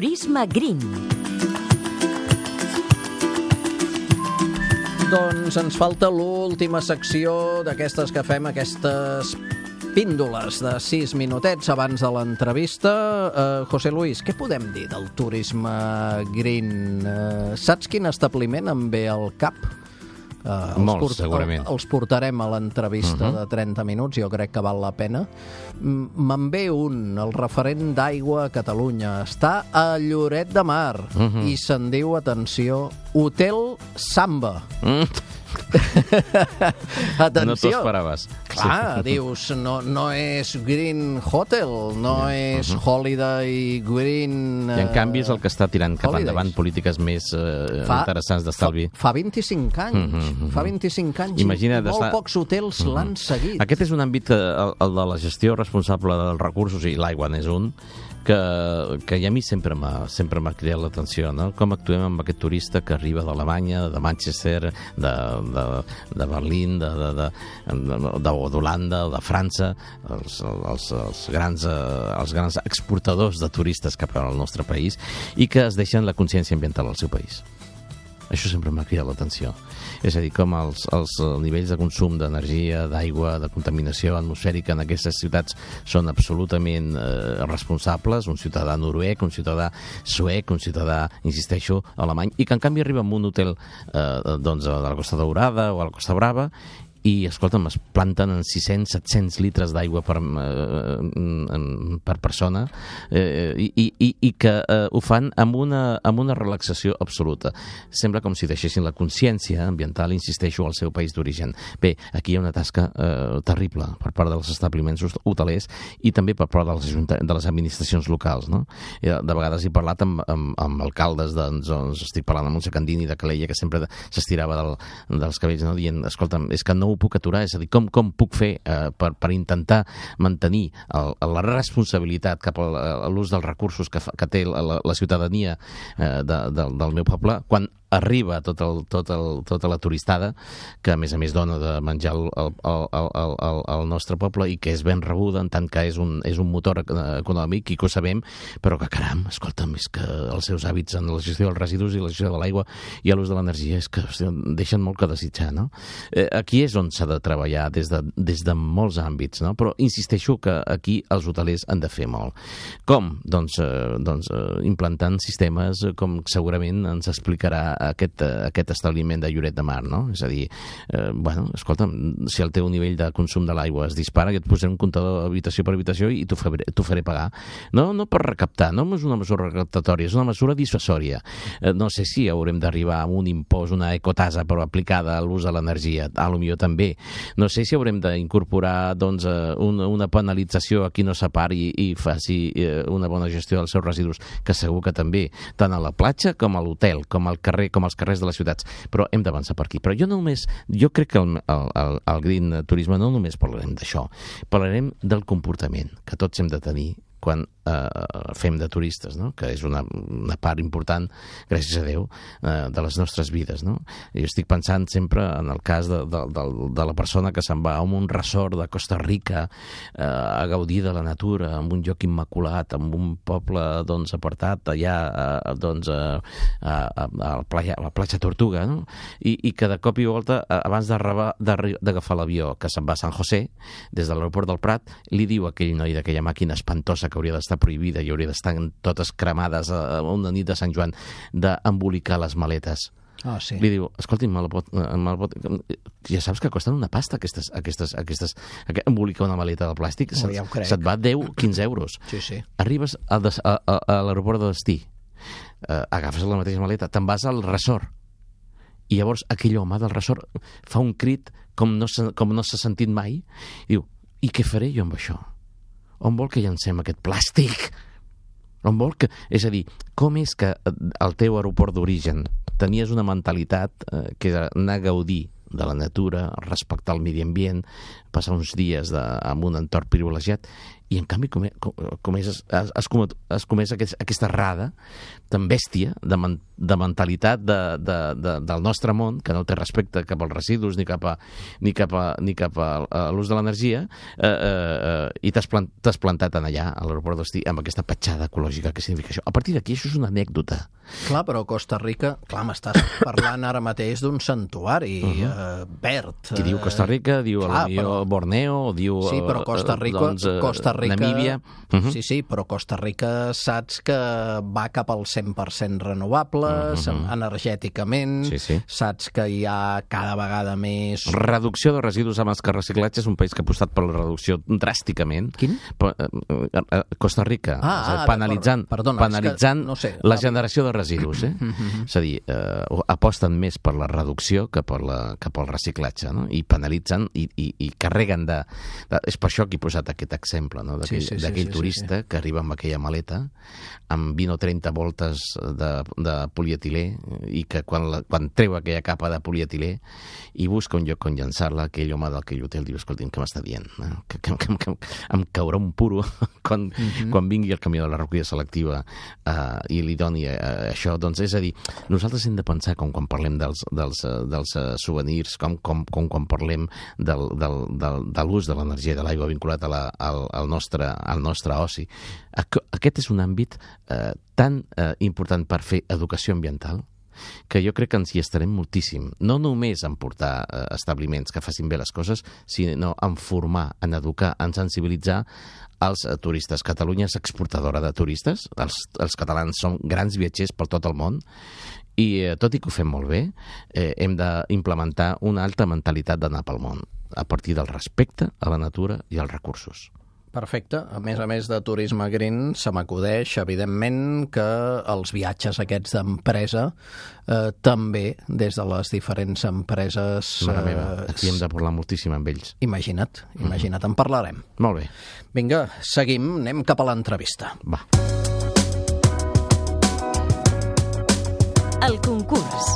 Turisme Green. Doncs ens falta l'última secció d'aquestes que fem, aquestes píndoles de 6 minutets abans de l'entrevista. José Luis, què podem dir del turisme green? Saps quin establiment em ve al cap? Molts, segurament. Els portarem a l'entrevista de 30 minuts, jo crec que val la pena. Me'n ve un, el referent d'aigua a Catalunya. Està a Lloret de Mar i se'n diu, atenció, Hotel Samba. Atenció. No t'ho esperaves. Clar, dius, no és Green Hotel, no és Holiday Green... I en canvi és el que està tirant cap endavant polítiques més interessants d'estalvi. Fa 25 anys. Fa 25 anys. Imagina't, molt pocs hotels l'han seguit. Aquest és un àmbit, el de la gestió responsable dels recursos, i l'aigua n'és un, que a mi sempre m'ha cridat l'atenció, no? Com actuem amb aquest turista que arriba d'Alemanya, de Manchester, de Berlín, d'Holanda o de França, els grans exportadors de turistes cap al nostre país, i que es deixen la consciència ambiental al seu país. Això sempre m'ha cridat l'atenció. És a dir, com els nivells de consum d'energia, d'aigua, de contaminació atmosfèrica en aquestes ciutats són absolutament responsables. Un ciutadà noruec, un ciutadà suec, un ciutadà, insisteixo, alemany, i que en canvi arriba a un hotel de la Costa Daurada o a la Costa Brava i, escolta'm, es planten en 600-700 litres d'aigua per persona i que ho fan amb una relaxació absoluta. Sembla com si deixessin la consciència ambiental, insisteixo, al seu país d'origen. Bé, aquí hi ha una tasca terrible per part dels establiments hotelers i també per part de les administracions locals, no? De vegades he parlat amb alcaldes, doncs estic parlant amb un secandini de Calella que sempre s'estirava dels cabells, no? Dient, escolta'm, és que no ho puc aturar, és a dir, com puc fer per intentar mantenir la responsabilitat cap a l'ús dels recursos que té la ciutadania del meu poble, quan arriba tota la turistada, que a més dona de menjar al nostre poble i que és ben rebuda en tant que és un motor econòmic i que ho sabem, però que caram, escolta'm, és que els seus hàbits en la gestió dels residus i la gestió de l'aigua i l'ús de l'energia és que deixen molt que desitjar, no? Aquí és on s'ha de treballar des de molts àmbits, no? Però insisteixo que aquí els hotelers han de fer molt. Com? Doncs implantant sistemes com segurament ens explicarà aquest establiment de Lloret de Mar, no? És a dir, escolta'm, si el teu nivell de consum de l'aigua es dispara, jo et posaré un comptador habitació per habitació i t'ho faré pagar. No per recaptar, no és una mesura recaptatòria, és una mesura dissuasòria. No sé si haurem d'arribar a un impost, una ecotasa, però aplicada a l'ús de l'energia, potser també. No sé si haurem d'incorporar una penalització a qui no separi i faci una bona gestió dels seus residus, que segur que també, tant a la platja com a l'hotel, com al carrer, com als carrers de les ciutats, però hem d'avançar per aquí. Però jo crec que el green turisme no només parlarem d'això, parlarem del comportament que tots hem de tenir quan fem de turistes, no? Que és una part important, gràcies a Déu, de les nostres vides, no? Jo estic pensant sempre en el cas de la persona que se'n va a un resort de Costa Rica a gaudir de la natura, en un lloc immaculat, en un poble apartat allà a la platja Tortuga, no? I que de cop i volta, abans d'agafar l'avió que se'n va a San José, des de l'aeroport del Prat, li diu a aquell noi d'aquella màquina espantosa que hauria d'estar prohibida i hauria d'estar totes cremades a una nit de Sant Joan, d'embolicar les maletes. Ah, sí. Li diu, escolti'm, ja saps que costen una pasta embolicar una maleta de plàstic, se't va 10-15 euros. Sí. Arribes a l'aeroport de destí, agafes la mateixa maleta, te'n vas al resort, i llavors aquell home del resort fa un crit com no s'ha sentit mai, i diu, i què faré jo amb això? On vol que llancem aquest plàstic? És a dir, com és que al teu aeroport d'origen tenies una mentalitat que era anar a gaudir de la natura, respectar el medi ambient, passar uns dies en un entorn privilegiat, i en canvi has comès aquesta errada tan bèstia de mentalitat del nostre món, que no té respecte cap als residus ni cap a l'ús de l'energia, i t'has plantat allà, a l'aeroport d'Ostí, amb aquesta petjada ecològica. Què significa això? A partir d'aquí, això és una anècdota. Clar, però Costa Rica, clar, m'estàs parlant ara mateix d'un santuari verd. Qui diu Costa Rica, diu Borneo, diu sí, però Costa Rica, Namíbia. Sí, però Costa Rica saps que va cap al 100% renovables, energèticament, saps que hi ha cada vegada més... Reducció de residus amb el reciclatge, és un país que ha apostat per la reducció dràsticament. Quin? Costa Rica, penalitzant la generació de residus. És a dir, aposten més per la reducció que per al reciclatge, no? I penalitzen i carreguen de... És per això que he posat aquest exemple, no? D'aquell turista que arriba amb aquella maleta amb 20 o 30 voltes de polietilè i que quan treu aquella capa de polietilè i busca un lloc on llançar-la, aquell home d'aquell hotel diu, escolti'm, què m'està dient? Que em caurà un puro quan vingui el camió de la recollida selectiva i li doni això. Doncs és a dir, nosaltres hem de pensar com quan parlem dels souvenirs, com quan parlem de l'ús de l'energia de l'aigua vinculat al nostre oci. Aquest és un àmbit tan important per fer educació ambiental que jo crec que ens hi estarem moltíssim. No només en portar establiments que facin bé les coses, sinó en formar, en educar, en sensibilitzar els turistes. Catalunya és exportadora de turistes, els catalans són grans viatgers per tot el món, i tot i que ho fem molt bé, hem d'implementar una alta mentalitat d'anar pel món, a partir del respecte a la natura i als recursos. Perfecte. A més de turisme green, se m'acudeix, evidentment, que els viatges aquests d'empresa també, des de les diferents empreses... Mare meva, aquí hem de parlar moltíssim amb ells. Imagina't, en parlarem. Molt bé. Vinga, seguim, anem cap a l'entrevista. Va. El concurs.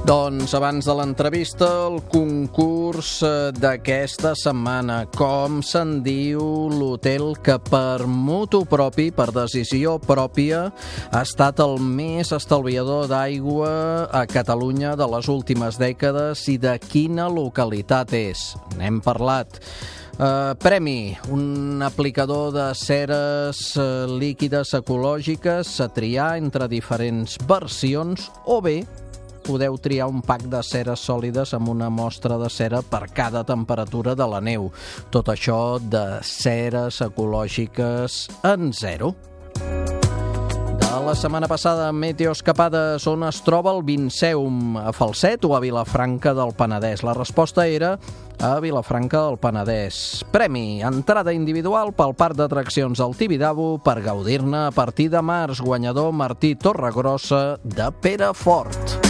Doncs abans de l'entrevista, el concurs d'aquesta setmana. Com se'n diu l'hotel que per mutu propi, per decisió pròpia, ha estat el més estalviador d'aigua a Catalunya de les últimes dècades i de quina localitat és? N'hem parlat. Premi, un aplicador de ceres líquides ecològiques a triar entre diferents versions, o bé podeu triar un pack de ceres sòlides amb una mostra de cera per cada temperatura de la neu. Tot això de ceres ecològiques en zero. De la setmana passada, Meteoscapades, on es troba el Vinceum? A Falset o a Vilafranca del Penedès? La resposta era a Vilafranca del Penedès. Premi, entrada individual pel parc d'atraccions del Tibidabo per gaudir-ne a partir de març. Guanyador Martí Torregrossa de Perafort.